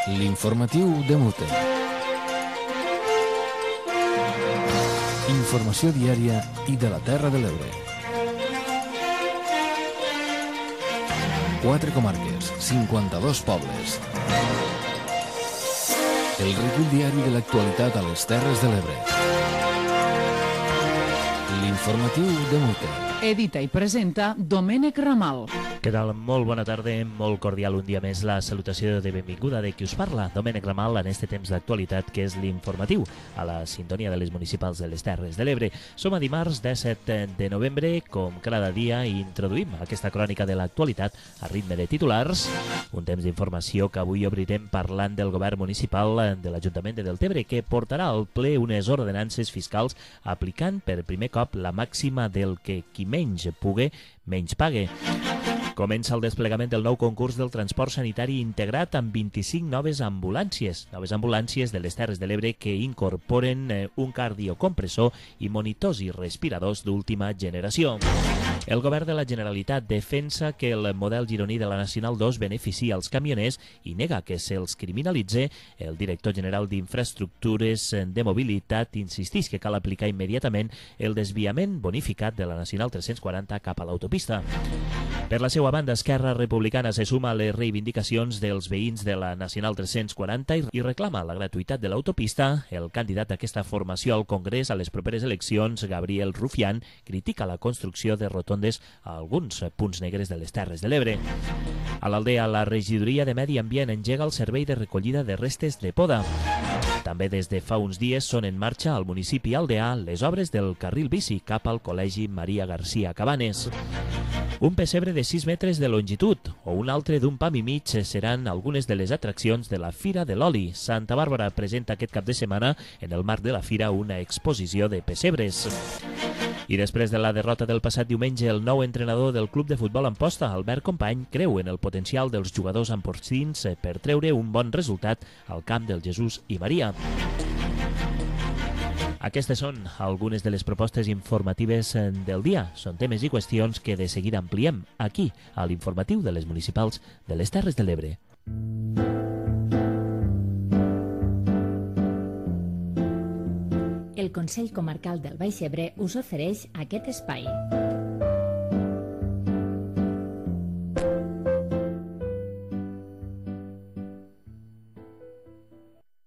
L'informatiu de Multe. Informació diària i de la Terra de l'Ebre. 4 comarques, 52 pobles. El recull diari de l'actualitat a les Terres de l'Ebre. L'informatiu de Multe. Edita i presenta Domènec Ramal. Què tal? Molt bona tarda, molt cordial un dia més la salutació de benvinguda de qui us parla, Domènec Ramal, en este temps d'actualitat que és l'informatiu, a la sintonia de les municipals de les Terres de l'Ebre. Som a dimarts 17 de novembre, com cada dia introduïm aquesta crònica de l'actualitat a ritme de titulars, un temps d'informació que avui obrirem parlant del govern municipal de l'Ajuntament de Deltebre, que portarà al ple unes ordenances fiscals aplicant per primer cop la màxima del que qui menys pugui, menys pague. Comença el desplegament del nou concurs del transport sanitari integrat amb 25 noves ambulàncies de les Terres de l'Ebre que incorporen un cardiocompressor i monitors i respiradors d'última generació. El govern de la Generalitat defensa que el model gironí de la Nacional 2 beneficia els camioners i nega que se'ls criminalitze. El director general d'Infraestructures de Mobilitat insisteix que cal aplicar immediatament el desviament bonificat de la Nacional 340 cap a l'autopista. Per la seva banda, Esquerra Republicana se suma a les reivindicacions dels veïns de la Nacional 340 i reclama la gratuïtat de l'autopista. El candidat d'aquesta formació al Congrés a les properes eleccions, Gabriel Rufián, critica la construcció de rotondes a alguns punts negres de les Terres de l'Ebre. A l'Aldea, la regidoria de Medi Ambient engega el servei de recollida de restes de poda. També des de fa uns dies són en marxa al municipi aldeà les obres del carril bici cap al Col·legi Maria Garcia Cabanes. Un pessebre de 6 metres de longitud o un altre d'un pam i mig seran algunes de les atraccions de la Fira de l'Oli. Santa Bàrbara presenta aquest cap de setmana en el marc de la fira una exposició de pessebres. I després de la derrota del passat diumenge, el nou entrenador del club de futbol Amposta, Albert Company, creu en el potencial dels jugadors ampostins per treure un bon resultat al camp del Jesús i Maria. Aquestes són algunes de les propostes informatives del dia. Són temes i qüestions que de seguida ampliem aquí, a l'informatiu de les municipals de les Terres de l'Ebre. El Consell Comarcal del Baix Ebre us ofereix aquest espai.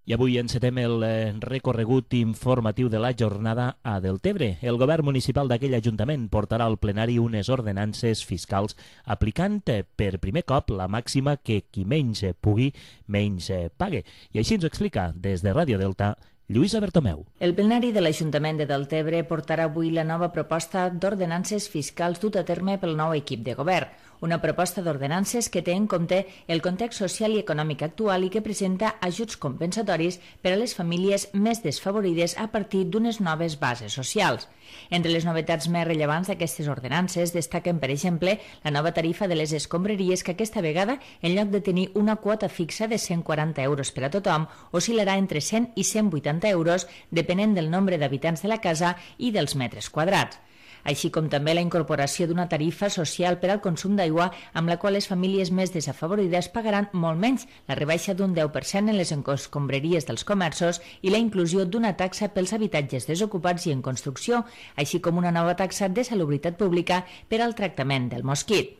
I avui encetem el recorregut informatiu de la jornada a Deltebre. El govern municipal d'aquell ajuntament portarà al plenari unes ordenances fiscals aplicant per primer cop la màxima que qui menys pugui, menys pague. I així ens ho explica des de Ràdio Delta Lluïsa Bertomeu. El plenari de l'Ajuntament de Deltebre portarà avui la nova proposta d'ordenances fiscals dut a terme pel nou equip de govern. Una proposta d'ordenances que té en compte el context social i econòmic actual i que presenta ajuts compensatoris per a les famílies més desfavorides a partir d'unes noves bases socials. Entre les novetats més rellevants d'aquestes ordenances destaquen, per exemple, la nova tarifa de les escombraries que aquesta vegada, en lloc de tenir una quota fixa de 140 euros per a tothom, oscil·larà entre 100 i 180 euros depenent del nombre d'habitants de la casa i dels metres quadrats. Així com també la incorporació d'una tarifa social per al consum d'aigua amb la qual les famílies més desafavorides pagaran molt menys, la rebaixa d'un 10% en les escombraries dels comerços i la inclusió d'una taxa pels habitatges desocupats i en construcció, així com una nova taxa de salubritat pública per al tractament del mosquit.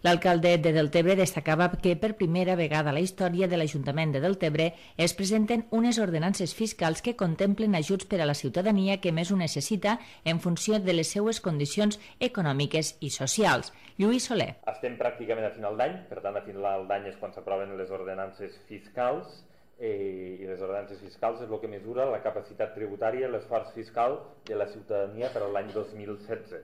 L'alcalde de Deltebre destacava que per primera vegada a la història de l'Ajuntament de Deltebre es presenten unes ordenances fiscals que contemplen ajuts per a la ciutadania que més ho necessita en funció de les seues condicions econòmiques i socials. Lluís Soler. Estem pràcticament a final d'any, per tant a final d'any és quan s'aproven les ordenances fiscals i les ordenances fiscals és el que mesura la capacitat tributària i l'esforç fiscal de la ciutadania per a l'any 2016.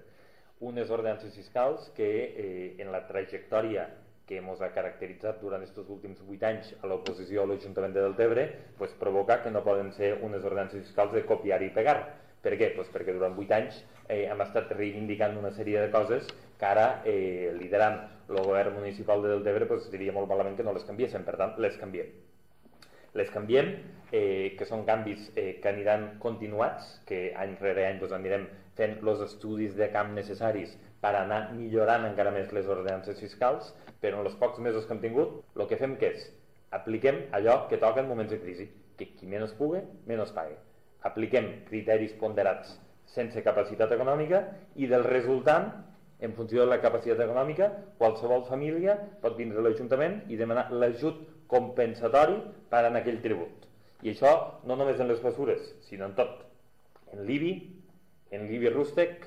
Unes ordenances fiscals que en la trajectòria que ens ha caracteritzat durant aquests últims 8 anys a l'oposició a l'Ajuntament de Deltebre provoca que no poden ser unes ordenances fiscals de copiar i pegar. Per què? Perquè durant 8 anys hem estat reivindicant una sèrie de coses que ara, liderant el govern municipal de Deltebre, diria molt malament que no les canviéssim, per tant, les canviem. Les canviem, que són canvis que aniran continuats, que any rere any anirem fent els estudis de camp necessaris per anar millorant encara més les ordenances fiscals, però en els pocs mesos que hem tingut, el que fem que és Apliquem allò que toca en moments de crisi, que qui menys pugui, menys pague. Apliquem criteris ponderats sense capacitat econòmica i del resultant, en funció de la capacitat econòmica, qualsevol família pot vindre a l'Ajuntament i demanar l'ajut compensatori per en aquell tribut. I això no només en les mesures, sinó en tot. En l'IBI rústec,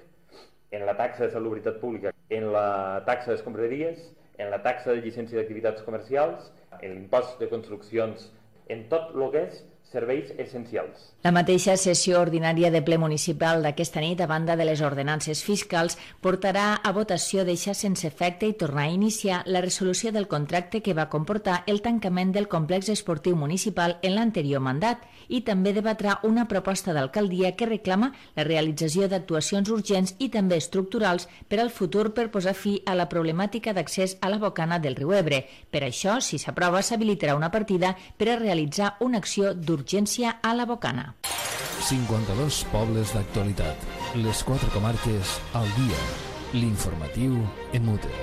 en la taxa de salubritat pública, en la taxa d'escombraries, en la taxa de llicència d'activitats comercials, en l'impost de construccions, en tot el que és serveis essencials. La mateixa sessió ordinària de ple municipal d'aquesta nit, a banda de les ordenances fiscals, portarà a votació deixar sense efecte i tornar a iniciar la resolució del contracte que va comportar el tancament del complex esportiu municipal en l'anterior mandat i també debatrà una proposta d'alcaldia que reclama la realització d'actuacions urgents i també estructurals per al futur per posar fi a la problemàtica d'accés a la bocana del riu Ebre. Per això, si s'aprova, s'habilitarà una partida per a realitzar una acció d'urgència a la bocana. 52 pobles d'actualitat. Les 4 comarques al dia. L'informatiu en Mute.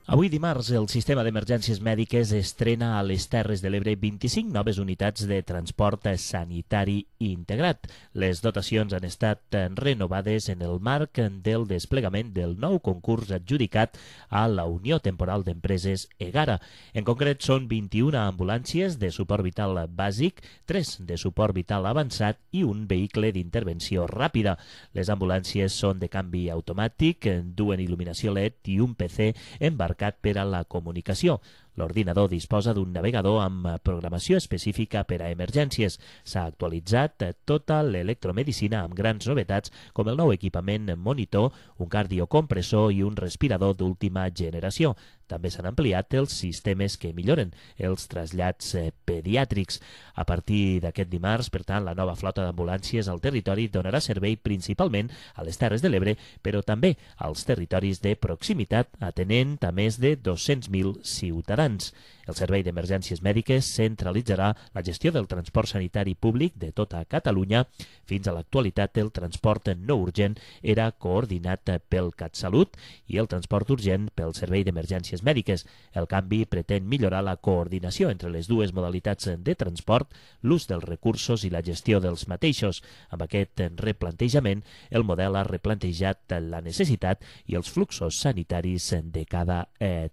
Avui dimarts, el sistema d'emergències mèdiques estrena a les Terres de l'Ebre 25 noves unitats de transport sanitari integrat. Les dotacions han estat renovades en el marc del desplegament del nou concurs adjudicat a la Unió Temporal d'Empreses EGARA. En concret, són 21 ambulàncies de suport vital bàsic, 3 de suport vital avançat i un vehicle d'intervenció ràpida. Les ambulàncies són de canvi automàtic, duen il·luminació LED i un PC embarcat per a la comunicació. L'ordinador disposa d'un navegador amb programació específica per a emergències. S'ha actualitzat tota l'electromedicina amb grans novetats com el nou equipament monitor, un cardiocompressor i un respirador d'última generació. També s'han ampliat els sistemes que milloren els trasllats pediàtrics. A partir d'aquest dimarts, per tant, la nova flota d'ambulàncies al territori donarà servei principalment a les Terres de l'Ebre, però també als territoris de proximitat, atenent a més de 200.000 ciutadans. El Servei d'Emergències Mèdiques centralitzarà la gestió del transport sanitari públic de tota Catalunya. Fins a l'actualitat, el transport no urgent era coordinat pel CatSalut i el transport urgent pel Servei d'Emergències Mèdiques. El canvi pretén millorar la coordinació entre les dues modalitats de transport, l'ús dels recursos i la gestió dels mateixos. Amb aquest replantejament, el model ha replantejat la necessitat i els fluxos sanitaris de cada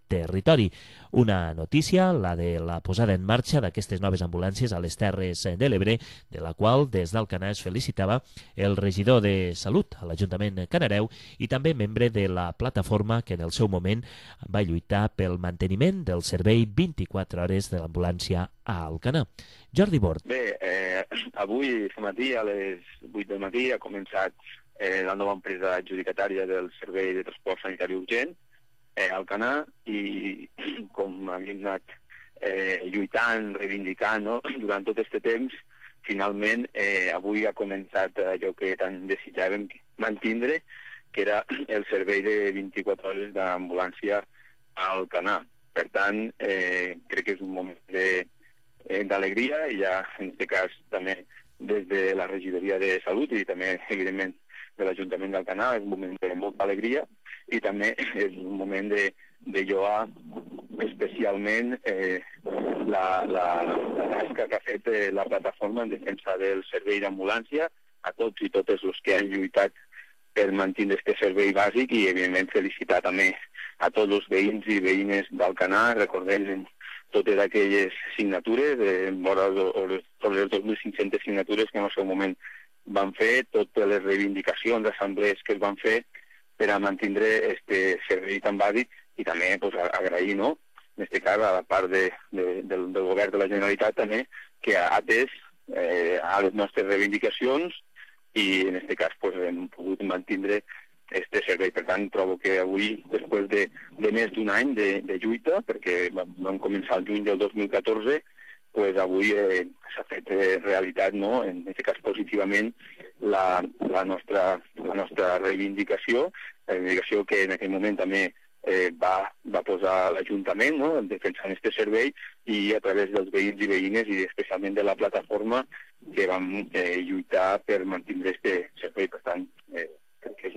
territori. Una notícia, la de la posada en marxa d'aquestes noves ambulàncies a les Terres de l'Ebre, de la qual des d'Alcanar es felicitava el regidor de Salut a l'Ajuntament canareu i també membre de la plataforma que en el seu moment va lluitar pel manteniment del servei 24 hores de l'ambulància a Alcanar. Jordi Bort. Bé, avui aquest matí a les 8 del matí ha començat la nova empresa adjudicatària del servei de transport sanitari urgent, Alcanar, i com havíem anat lluitant, reivindicant, no? Durant tot aquest temps, finalment avui ha començat allò que tant desitjàvem mantindre, que era el servei de 24 hores d'ambulància a Alcanar. Per tant, crec que és un moment d'alegria i ja, en aquest cas, també des de la regidoria de Salut i també, evidentment, de l'Ajuntament d'Alcanar, és un moment de molta alegria i també és un moment de lloar especialment la tasca que ha fet la plataforma en defensa del servei d'ambulància, a tots i totes els que han lluitat per mantenir aquest servei bàsic i, evidentment, felicitar també a tots els veïns i veïnes d'Alcanar, recordem totes aquelles signatures, vora les 2.500 signatures que en el seu moment van fer, totes les reivindicacions, assemblees que es van fer per a mantenir aquest servei tan bàsic i també agrair, no?, en aquest cas, a la part del govern de la Generalitat també, que ha atès a les nostres reivindicacions i en aquest cas hem pogut mantenir aquest servei. Per tant, trobo que avui, després de més d'un any de lluita, perquè vam començar el juny del 2014, avui s'ha fet realitat, no?, en aquest cas positivament, la nostra reivindicació, la reivindicació que en aquell moment també va posar l'Ajuntament, no?, defensant aquest servei i a través dels veïns i veïnes i especialment de la plataforma que vam lluitar per mantenir aquest servei. Per tant, crec que és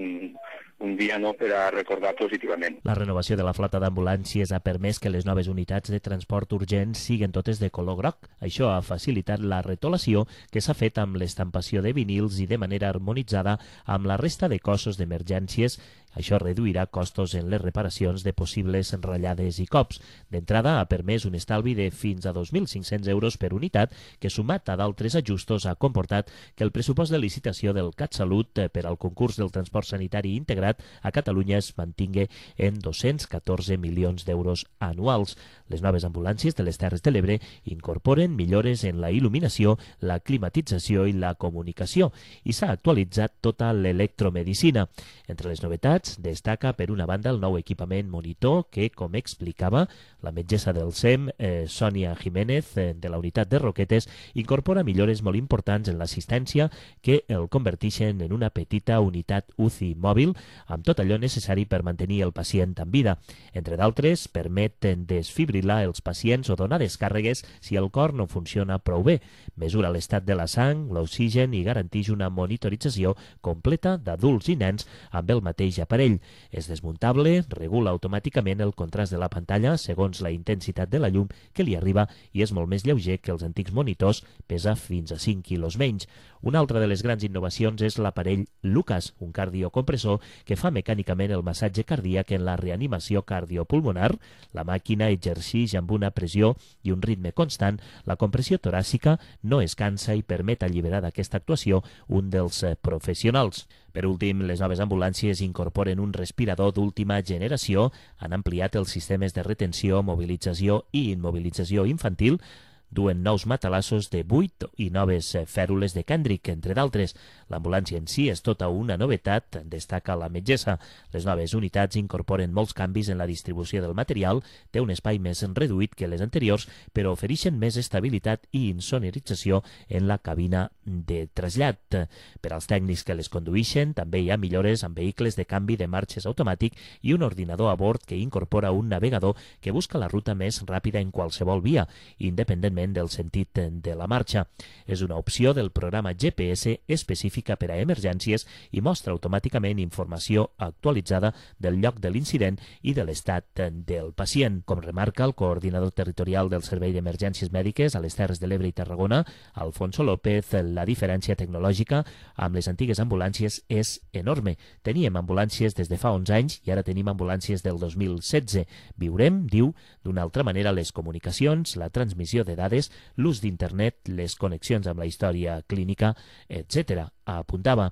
un dia per a recordar positivament. La renovació de la flota d'ambulàncies ha permès que les noves unitats de transport urgent siguin totes de color groc. Això ha facilitat la retolació que s'ha fet amb l'estampació de vinils i de manera harmonitzada amb la resta de cossos d'emergències. Això reduirà costos en les reparacions de possibles ratllades i cops. D'entrada, ha permès un estalvi de fins a 2.500 euros per unitat, que sumat a d'altres ajustos ha comportat que el pressupost de licitació del CatSalut per al concurs del transport sanitari integrat a Catalunya es mantingui en 214 milions d'euros anuals. Les noves ambulàncies de les Terres de l'Ebre incorporen millores en la il·luminació, la climatització i la comunicació, i s'ha actualitzat tota l'electromedicina. Entre les novetats, destaca per una banda el nou equipament monitor que, com explicava la metgessa del SEM, Sònia Jiménez, de la unitat de Roquetes, incorpora millores molt importants en l'assistència que el converteixen en una petita unitat UCI mòbil amb tot allò necessari per mantenir el pacient en vida. Entre d'altres, permeten desfibrilar els pacients o donar descàrregues si el cor no funciona prou bé, mesura l'estat de la sang, l'oxigen i garanteix una monitorització completa d'adults i nens amb el mateix aparell. És desmuntable, regula automàticament el contrast de la pantalla segons la intensitat de la llum que li arriba i és molt més lleuger que els antics monitors, pesa fins a 5 quilos menys. Una altra de les grans innovacions és l'aparell Lucas, un cardiocompressor que fa mecànicament el massatge cardíac en la reanimació cardiopulmonar. La màquina exerceix amb una pressió i un ritme constant. La compressió toràcica no es cansa i permet alliberar d'aquesta actuació un dels professionals. Per últim, les noves ambulàncies incorporen un respirador d'última generació, han ampliat els sistemes de retenció, mobilització i immobilització infantil, duen nous matalassos de 8 i noves fèrules de Kendrick, entre d'altres. L'ambulància en si és tota una novetat, destaca la metgessa. Les noves unitats incorporen molts canvis en la distribució del material, té un espai més reduït que les anteriors, però ofereixen més estabilitat i insonorització en la cabina de trasllat. Per als tècnics que les condueixen, també hi ha millores amb vehicles de canvi de marxes automàtic i un ordinador a bord que incorpora un navegador que busca la ruta més ràpida en qualsevol via, independentment del sentit de la marxa. És una opció del programa GPS específica per a emergències i mostra automàticament informació actualitzada del lloc de l'incident i de l'estat del pacient. Com remarca el coordinador territorial del Servei d'Emergències Mèdiques a les Terres de l'Ebre i Tarragona, Alfonso López, la diferència tecnològica amb les antigues ambulàncies és enorme. Teníem ambulàncies des de fa 11 anys i ara tenim ambulàncies del 2016. Viurem, diu, d'una altra manera les comunicacions, la transmissió de dades, l'ús d'internet, les connexions amb la història clínica, etc., apuntava.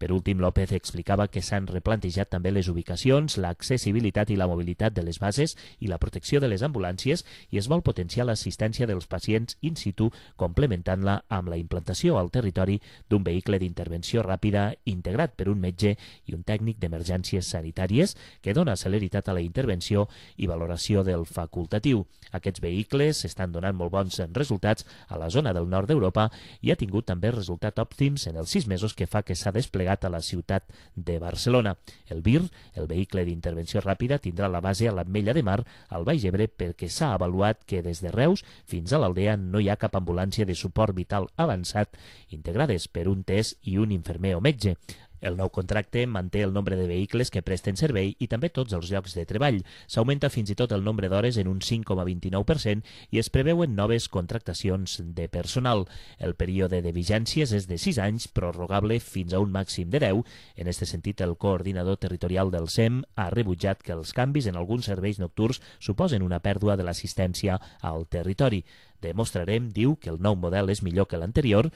Per últim, López explicava que s'han replantejat també les ubicacions, l'accessibilitat i la mobilitat de les bases i la protecció de les ambulàncies i es vol potenciar l'assistència dels pacients in situ, complementant-la amb la implantació al territori d'un vehicle d'intervenció ràpida integrat per un metge i un tècnic d'emergències sanitàries que dona celeritat a la intervenció i valoració del facultatiu. Aquests vehicles estan donant molt bons resultats a la zona del nord d'Europa i ha tingut també resultats òptims en els 6 mesos que fa que s'ha desplegat a la ciutat de Barcelona. El VIR, el vehicle d'intervenció ràpida, tindrà la base a l'Ametlla de Mar, al Baix Ebre, perquè s'ha avaluat que des de Reus fins a l'Aldea no hi ha cap ambulància de suport vital avançat integrades per un test i un infermer o metge. El nou contracte manté el nombre de vehicles que presten servei i també tots els llocs de treball. S'augmenta fins i tot el nombre d'hores en un 5,29% i es preveuen noves contractacions de personal. El període de vigències és de 6 anys, prorrogable fins a un màxim de 10. En aquest sentit, el coordinador territorial del SEM ha rebutjat que els canvis en alguns serveis nocturns suposen una pèrdua de l'assistència al territori. Demostrarem, diu, que el nou model és millor que l'anterior.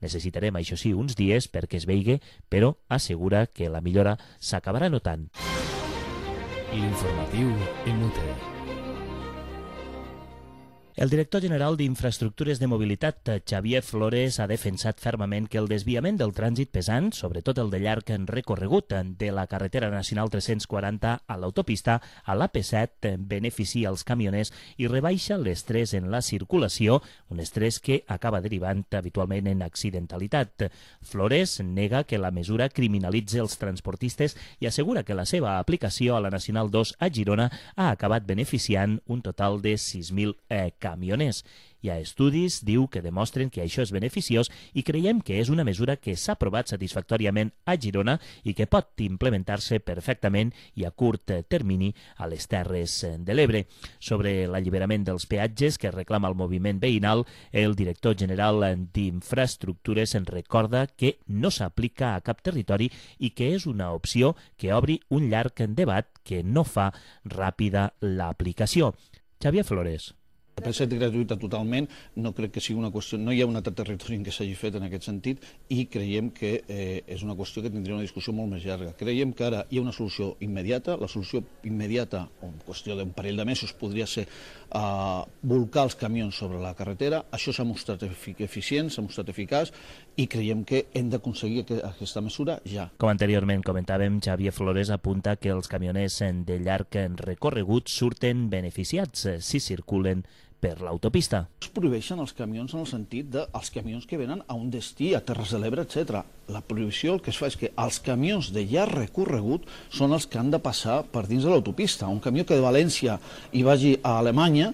Necessitarem, això sí, uns dies perquè es veigui, però assegura que la millora s'acabarà notant. L'informatiu en UTE. El director general d'Infraestructures de Mobilitat, Xavier Flores, ha defensat fermament que el desviament del trànsit pesant, sobretot el de llarg recorregut de la carretera nacional 340 a l'autopista a l'AP7, beneficia els camioners i rebaixa l'estrès en la circulació, un estrès que acaba derivant habitualment en accidentalitat. Flores nega que la mesura criminalitza els transportistes i assegura que la seva aplicació a la Nacional 2 a Girona ha acabat beneficiant un total de 6.000 camioners. Hi ha estudis, diu, que demostren que això és beneficiós i creiem que és una mesura que s'ha aprovat satisfactòriament a Girona i que pot implementar-se perfectament i a curt termini a les Terres de l'Ebre. Sobre l'alliberament dels peatges que reclama el moviment veïnal, el director general d'Infraestructures en recorda que no s'aplica a cap territori i que és una opció que obri un llarg debat que no fa ràpida l'aplicació. Xavier Flores. Per ser gratuïta totalment, no crec que sigui una qüestió, no hi ha un altre territori en què s'hagi fet en aquest sentit i creiem que és una qüestió que tindria una discussió molt més llarga. Creiem que ara hi ha una solució immediata, la solució immediata, o en qüestió d'un parell de mesos, podria ser volcar els camions sobre la carretera. Això s'ha mostrat eficient, s'ha mostrat eficaç i creiem que hem d'aconseguir aquesta mesura ja. Com anteriorment comentàvem, Xavier Flores apunta que els camioners de llarg recorregut surten beneficiats si circulen per l'autopista. Es prohibeixen els camions en el sentit dels camions que venen a un destí, a Terres de l'Ebre, etc. La prohibició el que es fa és que els camions de llarg recorregut són els que han de passar per dins de l'autopista. Un camió que de València hi vagi a Alemanya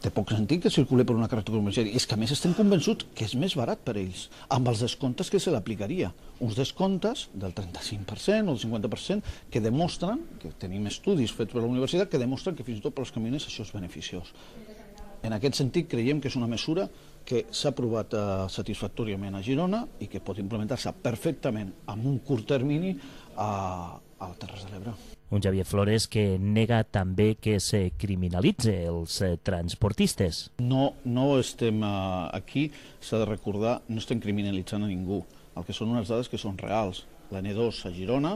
té poc sentit que circuli per una carretera comercial. I és que a més estem convençuts que és més barat per ells, amb els descomptes que se l'aplicaria. Uns descomptes del 35% o del 50% que demostren, que tenim estudis fets per la universitat, que demostren que fins i tot per als camioners això és beneficiós. En aquest sentit, creiem que és una mesura que s'ha aprovat satisfactòriament a Girona i que pot implementar-se perfectament en un curt termini a Terres de l'Ebre. Un Xavier Flores que nega també que se criminalitze els transportistes. No estem aquí, s'ha de recordar, no estem criminalitzant a ningú. El que són unes dades que són reals. La N2 a Girona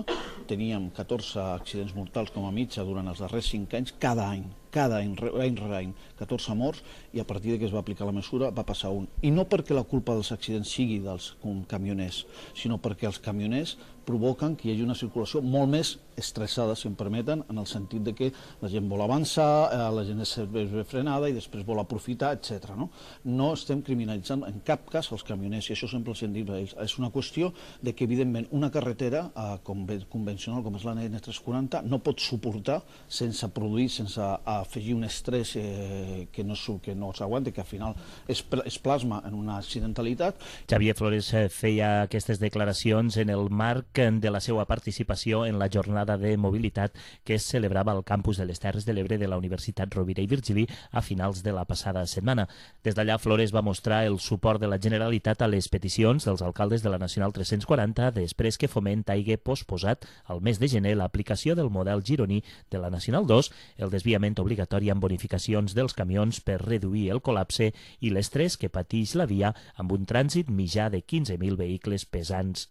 teníem 14 accidents mortals com a mitja durant els darrers 5 anys, cada any, any rere any, 14 morts, i a partir de que es va aplicar la mesura va passar un. I no perquè la culpa dels accidents sigui dels camioners, sinó perquè els camioners provoquen que hi hagi una circulació molt més estressada, si em permeten, en el sentit de que la gent vol avançar, la gent és frenada i després vol aprofitar, etc. No estem criminalitzant en cap cas els camioners, i això sempre els hem dit a ells. És una qüestió de que, evidentment, una carretera convencional com és la N340 no pot suportar sense produir, sense afegir un estrès que no s'aguanta, que al final es plasma en una accidentalitat. Xavier Flores feia aquestes declaracions en el marc de la seva participació en la jornada de mobilitat que es celebrava al campus de les Terres de l'Ebre de la Universitat Rovira i Virgili a finals de la passada setmana. Des d'allà, Flores va mostrar el suport de la Generalitat a les peticions dels alcaldes de la Nacional 340 després que Foment hagi posposat al mes de gener l'aplicació del model gironí de la Nacional 2, el desviament obligatori amb bonificacions dels camions per reduir el col·lapse i l'estrès que pateix la via amb un trànsit mitjà de 15.000 vehicles pesants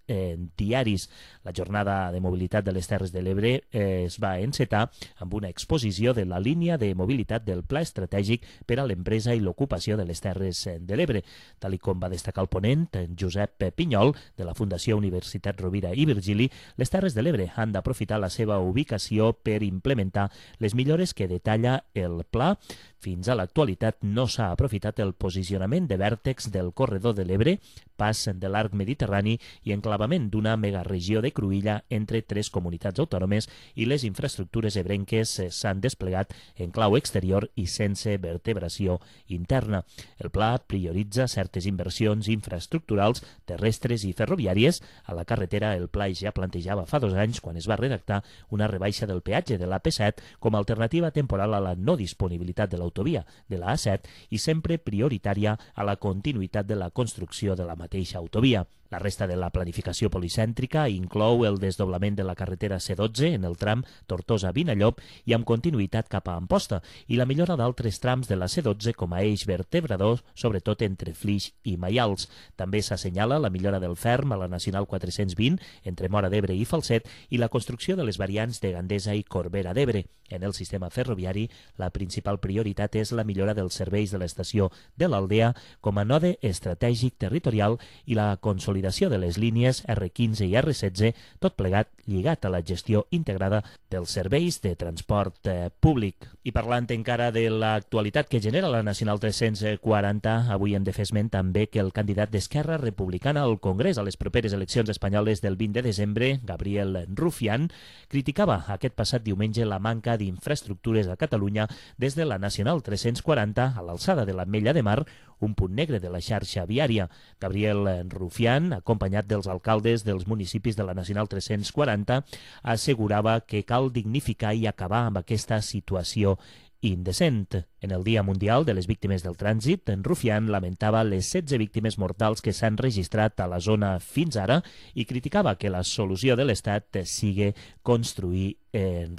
diaris. La jornada de mobilitat de les Terres de l'Ebre es va encetar amb una exposició de la línia de mobilitat del Pla Estratègic per a l'empresa i l'ocupació de les Terres de l'Ebre. Tal com va destacar el ponent, Josep Pinyol, de la Fundació Universitat Rovira i Virgili, les Terres de l'Ebre han d'aprofitar la seva ubicació per implementar les millores que detalla el pla. Fins a l'actualitat no s'ha aprofitat el posicionament de vèrtex del corredor de l'Ebre, pas de l'arc mediterrani i enclavament d'una megaregió de cruïlla entre 3 comunitats autònomes, i les infraestructures ebrenques s'han desplegat en clau exterior i sense vertebració interna. El pla prioritza certes inversions infraestructurals, terrestres i ferroviàries. A la carretera, el pla ja plantejava fa 2 anys, quan es va redactar, una rebaixa del peatge de l'AP7 com a alternativa temporal a la no disponibilitat de l'autovia de la A7 i sempre prioritària a la continuïtat de la construcció de la mateixa autovia. La resta de la planificació policèntrica inclou el desdoblament de la carretera C12 en el tram Tortosa-Vinallop i amb continuïtat cap a Amposta, i la millora d'altres trams de la C12 com a eix vertebrador, sobretot entre Flix i Maials. També s'assenyala la millora del ferm a la Nacional 420 entre Móra d'Ebre i Falset i la construcció de les variants de Gandesa i Corbera d'Ebre. En el sistema ferroviari, la principal prioritat és la millora dels serveis de l'estació de l'Aldea com a node estratègic territorial i la consolidació consolidació de les línies R15 i R16, tot plegat lligat a la gestió integrada dels serveis de transport públic. I parlant encara de l'actualitat que genera la Nacional 340, avui hem de fer esment també que el candidat d'Esquerra Republicana al Congrés a les properes eleccions espanyoles del 20 de desembre, Gabriel Rufián, criticava aquest passat diumenge la manca d'infraestructures a Catalunya des de la Nacional 340 a l'alçada de l'Ametlla de Mar, un punt negre de la xarxa viària. Gabriel Rufián, acompanyat dels alcaldes dels municipis de la Nacional 340, assegurava que cal dignificar i acabar amb aquesta situació indecent. En el Dia Mundial de les Víctimes del Trànsit, en Rufián lamentava les 16 víctimes mortals que s'han registrat a la zona fins ara i criticava que la solució de l'Estat sigui construir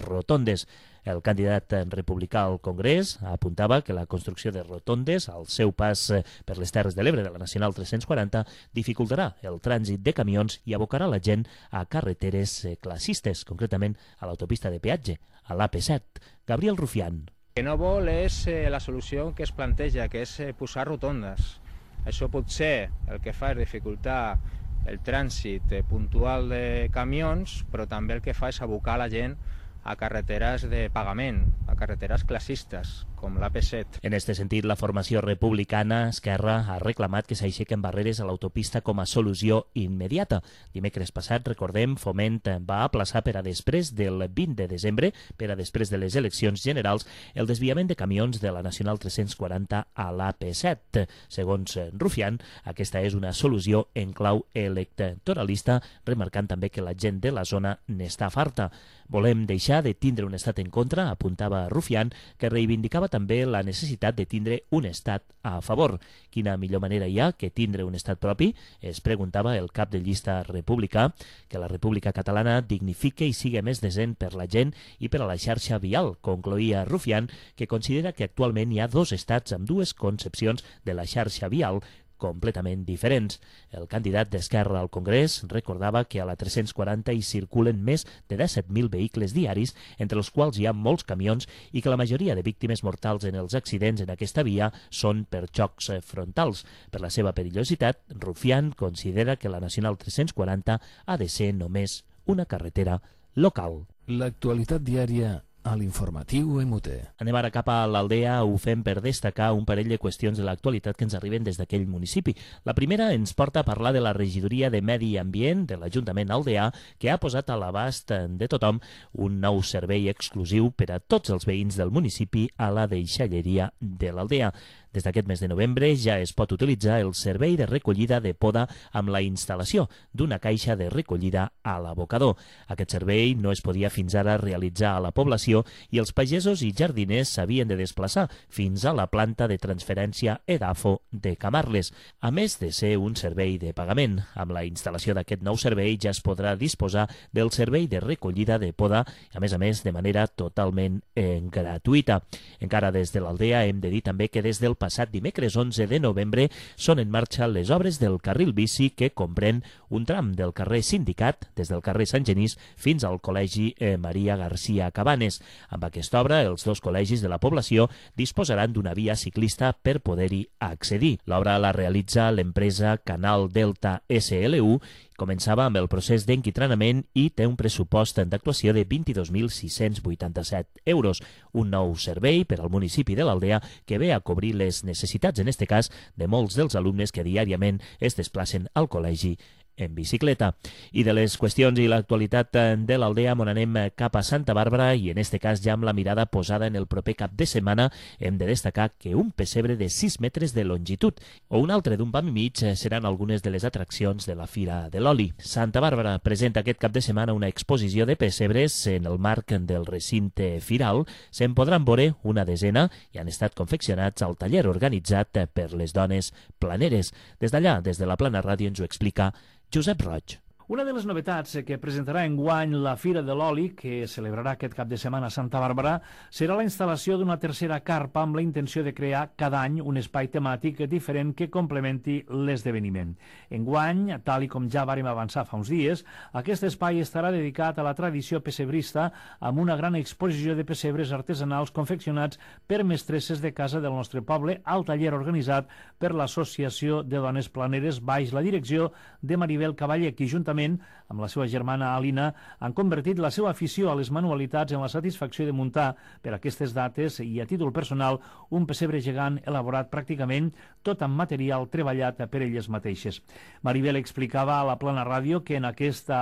rotondes. El candidat republicà al Congrés apuntava que la construcció de rotondes al seu pas per les Terres de l'Ebre de la Nacional 340 dificultarà el trànsit de camions i abocarà la gent a carreteres classistes, concretament a l'autopista de peatge, a l'AP7. Gabriel Rufián. El que no vol és la solució que es planteja, que és posar rotondes. Això potser el que fa és dificultar el trànsit puntual de camions, però també el que fa és abocar la gent a carreteres de pagament, a carreteres classistes, com l'AP7. En aquest sentit, la formació republicana Esquerra ha reclamat que s'aixequen barreres a l'autopista com a solució immediata. Dimecres passat, recordem, Foment va aplaçar per a després del 20 de desembre, per a després de les eleccions generals, el desviament de camions de la Nacional 340 a l'AP7. Segons Rufián, aquesta és una solució en clau electoralista, remarcant també que la gent de la zona n'està farta. Volem deixar de tindre un estat en contra, apuntava Rufián, que reivindicava també la necessitat de tindre un estat a favor. Quina millor manera hi ha que tindre un estat propi? Es preguntava el cap de llista republicà, que la República Catalana dignifique i sigui més decent per la gent i per a la xarxa vial, concloïa Rufián, que considera que actualment hi ha dos estats amb dues concepcions de la xarxa vial completament diferents. El candidat d'Esquerra al Congrés recordava que a la 340 hi circulen més de 17.000 vehicles diaris, entre els quals hi ha molts camions, i que la majoria de víctimes mortals en els accidents en aquesta via són per xocs frontals. Per la seva perillositat, Rufián considera que la Nacional 340 ha de ser només una carretera local. L'actualitat diària a l'informatiu MUT. Anem ara cap a l'Aldea, ho fem per destacar un parell de qüestions de l'actualitat que ens arriben des d'aquell municipi. La primera ens porta a parlar de la regidoria de Medi Ambient de l'Ajuntament aldeà, que ha posat a l'abast de tothom un nou servei exclusiu per a tots els veïns del municipi a la deixalleria de l'Aldea. Des d'aquest mes de novembre ja es pot utilitzar el servei de recollida de poda amb la instal·lació d'una caixa de recollida a l'abocador. Aquest servei no es podia fins ara realitzar a la població i els pagesos i jardiners s'havien de desplaçar fins a la planta de transferència Edafo de Camarles, a més de ser un servei de pagament. Amb la instal·lació d'aquest nou servei ja es podrà disposar del servei de recollida de poda, a més, de manera totalment gratuïta. Encara des de l'Aldea hem de dir també que des del passat dimecres 11 de novembre són en marxa les obres del carril bici que comprèn un tram del carrer Sindicat, des del carrer Sant Genís fins al Col·legi Maria García Cabanes. Amb aquesta obra, els dos col·legis de la població disposaran d'una via ciclista per poder-hi accedir. L'obra la realitza l'empresa Canal Delta SLU, començava amb el procés d'enquitranament i té un pressupost d'actuació de 22.687 euros. Un nou servei per al municipi de l'Aldea que ve a cobrir les necessitats, en este cas, de molts dels alumnes que diàriament es desplacen al col·legi en bicicleta. I de les qüestions i l'actualitat de l'Aldea on anem cap a Santa Bàrbara i en este cas ja amb la mirada posada en el proper cap de setmana hem de destacar que un pessebre de 6 metres de longitud o un altre d'un pam i mig seran algunes de les atraccions de la Fira de l'Oli. Santa Bàrbara presenta aquest cap de setmana una exposició de pessebres en el marc del recinte firal. Se'n podran veure una desena i han estat confeccionats al taller organitzat per les dones planeres. Des d'allà, des de la Plana Ràdio, ens ho explica Josep Roig. Una de les novetats que presentarà enguany la Fira de l'Oli, que celebrarà aquest cap de setmana a Santa Bàrbara, serà la instal·lació d'una tercera carpa amb la intenció de crear cada any un espai temàtic diferent que complementi l'esdeveniment. Enguany, tal i com ja vàrem avançar fa uns dies, aquest espai estarà dedicat a la tradició pessebrista amb una gran exposició de pessebres artesanals confeccionats per mestresses de casa del nostre poble al taller organitzat per l'Associació de Dones Planeres baix la direcció de Maribel Cavaller, qui juntament amb la seva germana Alina han convertit la seva afició a les manualitats en la satisfacció de muntar per aquestes dates i a títol personal un pessebre gegant elaborat pràcticament tot amb material treballat per elles mateixes. Maribel explicava a la Plana Ràdio que en aquesta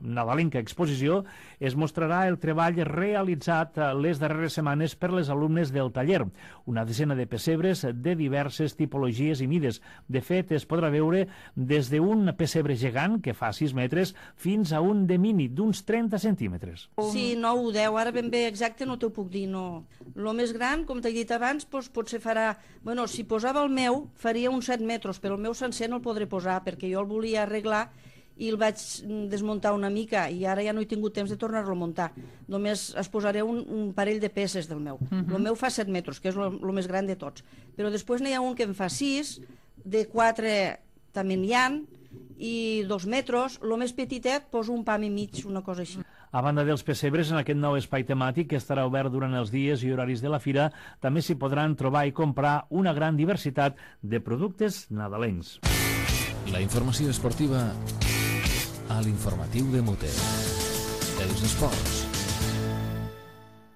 nadalenca exposició es mostrarà el treball realitzat les darreres setmanes per les alumnes del taller, una decena de pessebres de diverses tipologies i mides. De fet, es podrà veure des d'un pessebre gegant que fa 6 metres fins a un de mini d'uns 30 centímetres. Sí, 9 o 10, ara ben bé exacte no t'ho puc dir, no. Lo més gran, com t'he dit abans, doncs potser farà... Bueno, si posava el meu, faria uns 7 metres, però el meu sencer no el podré posar, perquè jo el volia arreglar i el vaig desmuntar una mica i ara ja no he tingut temps de tornar-lo a muntar. Només es posaré un parell de peces del meu. El meu fa 7 metres, que és el més gran de tots. Però després n'hi ha un que en fa 6, de 4 també n'hi ha, i 2 metres, el més petitet poso un pam i mig, una cosa així. A banda dels pessebres, en aquest nou espai temàtic que estarà obert durant els dies i horaris de la fira, també s'hi podran trobar i comprar una gran diversitat de productes nadalencs. La informació esportiva a l'informatiu de Muter. Els esports.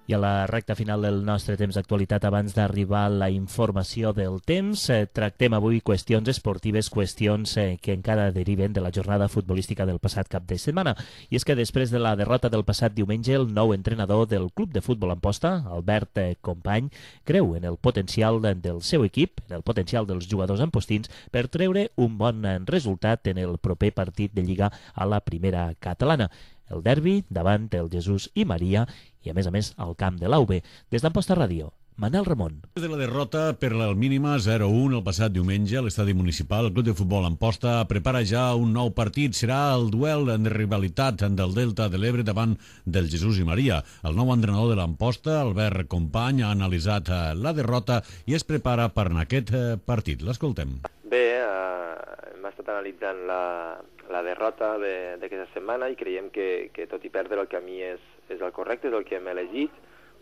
I a la recta final del nostre temps d'actualitat, abans d'arribar a la informació del temps, tractem avui qüestions esportives, qüestions que encara deriven de la jornada futbolística del passat cap de setmana. I és que després de la derrota del passat diumenge, el nou entrenador del Club de Futbol Amposta, Albert Company, creu en el potencial del seu equip, en el potencial dels jugadors ampostins, per treure un bon resultat en el proper partit de Lliga a la primera catalana. El derbi davant el Jesús i Maria i, a més, al camp de l'AUB. Des d'Amposta Ràdio, Manel Ramon. Des de la derrota per la mínima 0-1 el passat diumenge a l'estadi municipal, el Club de Futbol Amposta prepara ja un nou partit. Serà el duel de rivalitat del Delta de l'Ebre davant del Jesús i Maria. El nou entrenador de l'Amposta, Albert Company, ha analitzat la derrota i es prepara per aquest partit. L'escoltem. Bé, hem estat analitzant la derrota d'aquesta setmana i creiem que tot i perdre el camí és el correcte, és el que hem elegit.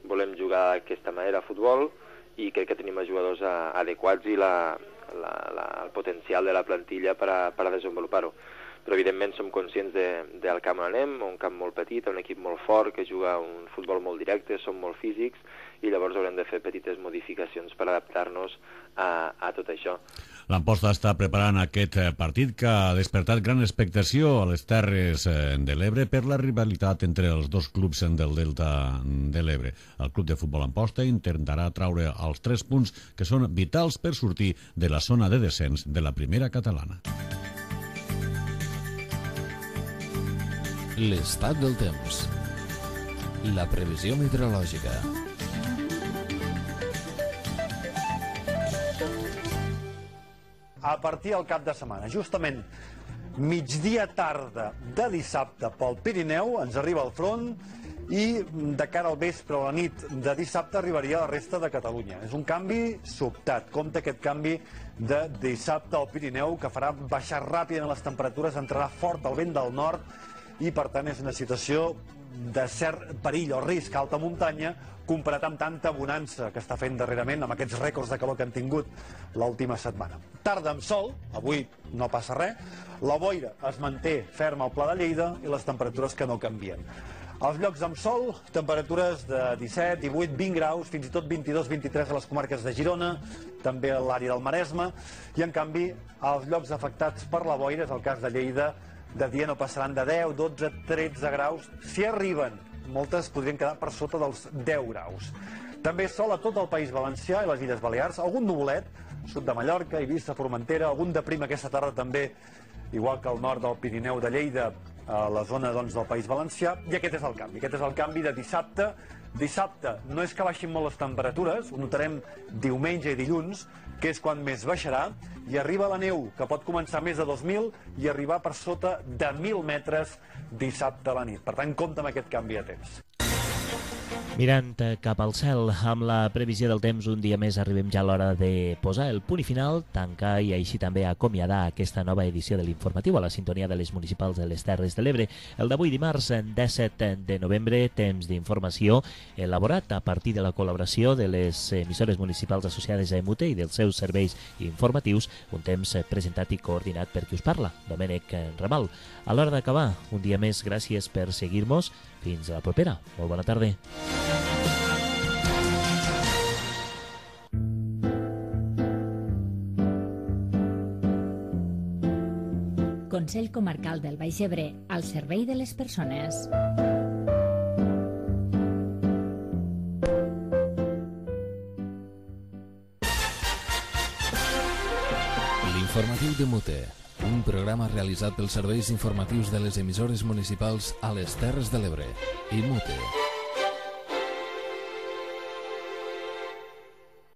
Volem jugar d'aquesta manera a futbol i crec que tenim els jugadors adequats i el potencial de la plantilla per a desenvolupar-ho. Però evidentment som conscients del camp on anem, un camp molt petit, un equip molt fort que juga un futbol molt directe, som molt físics i llavors haurem de fer petites modificacions per adaptar-nos a tot això. L'Amposta està preparant aquest partit que ha despertat gran expectació a les Terres de l'Ebre per la rivalitat entre els dos clubs del Delta de l'Ebre. El Club de Futbol Amposta intentarà traure els 3 punts que són vitals per sortir de la zona de descens de la primera catalana. L'estat del temps. La previsió meteorològica. A partir del cap de setmana, justament migdia tarda de dissabte pel Pirineu, ens arriba el front i de cara al vespre o la nit de dissabte arribaria a la resta de Catalunya. És un canvi sobtat. Compte aquest canvi de dissabte al Pirineu que farà baixar ràpidament les temperatures, entrarà fort el vent del nord i per tant és una situació de cert perill o risc a alta muntanya comparat amb tanta bonança que està fent darrerament amb aquests rècords de calor que han tingut l'última setmana. Tarda amb sol, avui no passa res, la boira es manté ferma al Pla de Lleida i les temperatures que no canvien. Als llocs amb sol, temperatures de 17, 18, 20 graus, fins i tot 22, 23 a les comarques de Girona, també a l'àrea del Maresme, i en canvi als llocs afectats per la boira, és el cas de Lleida, de dia no passaran de 10, 12, 13 graus, si arriben. Moltes podrien quedar per sota dels 10 graus. També sol a tot el País Valencià i les Illes Balears, algun nuvolet, sud de Mallorca, Eivissa, Formentera, algun de prim aquesta tarda també, igual que al nord del Pirineu de Lleida a la zona del País Valencià, i aquest és el canvi. Aquest és el canvi de dissabte. Dissabte no és que baixin molt les temperatures, ho notarem diumenge i dilluns, que és quan més baixarà, i arriba la neu, que pot començar més de 2.000 i arribar per sota de 1.000 metres dissabte a la nit. Per tant, compte amb aquest canvi de temps. Mirant cap al cel, amb la previsió del temps, un dia més arribem ja a l'hora de posar el punt i final, tancar i així també acomiadar aquesta nova edició de l'informatiu a la sintonia de les municipals de les Terres de l'Ebre. El d'avui dimarts, 17 de novembre, temps d'informació elaborat a partir de la col·laboració de les emissores municipals associades a EMUTE i dels seus serveis informatius, un temps presentat i coordinat per qui us parla, Domènec Ramal. A l'hora d'acabar, un dia més, gràcies per seguir-nos. Fins a la propera. Molt bona tarda. Consell Comarcal del Baix Ebre, al servei de les persones. L'informatiu de Mute, un programa realitzat pels serveis informatius de les emissores municipals a les Terres de l'Ebre i Mute.